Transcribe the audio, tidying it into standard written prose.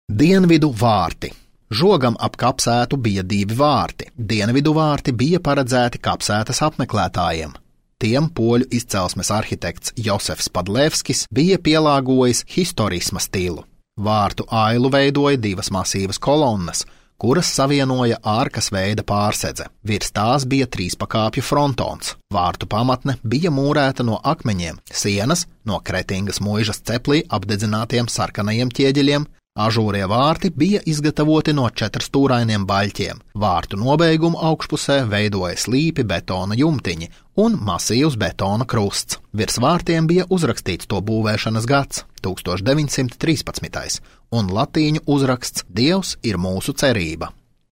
Dienvidu vārti. Žogam ap kapsētu bija 2 vārti. Dienvidu vārti bija paredzēti kapsētas apmeklētājiem. Tiem poļu izcelsmes arhitekts Josefs Padlevskis bija pielāgojis historisma stilu. Vārtu ailu veidoja 2 masīvas kolonnas, kuras savienoja ārkas veida pārsedze. Virs tās bija 3 pakāpju frontons. Vārtu pamatne bija mūrēta no akmeņiem, sienas no Kretingas muižas ceplī apdedzinātiem sarkanajiem ķieģeļiem. Ažūrie vārti bija izgatavoti no 4 stūrainiem baļķiem. Vārtu nobeigumu augšpusē veidoja slīpi betona jumtiņi un masīvs betona krusts. Virs vārtiem bija uzrakstīts to būvēšanas gads – 1913. un latīņu uzraksts Dievs ir mūsu cerība.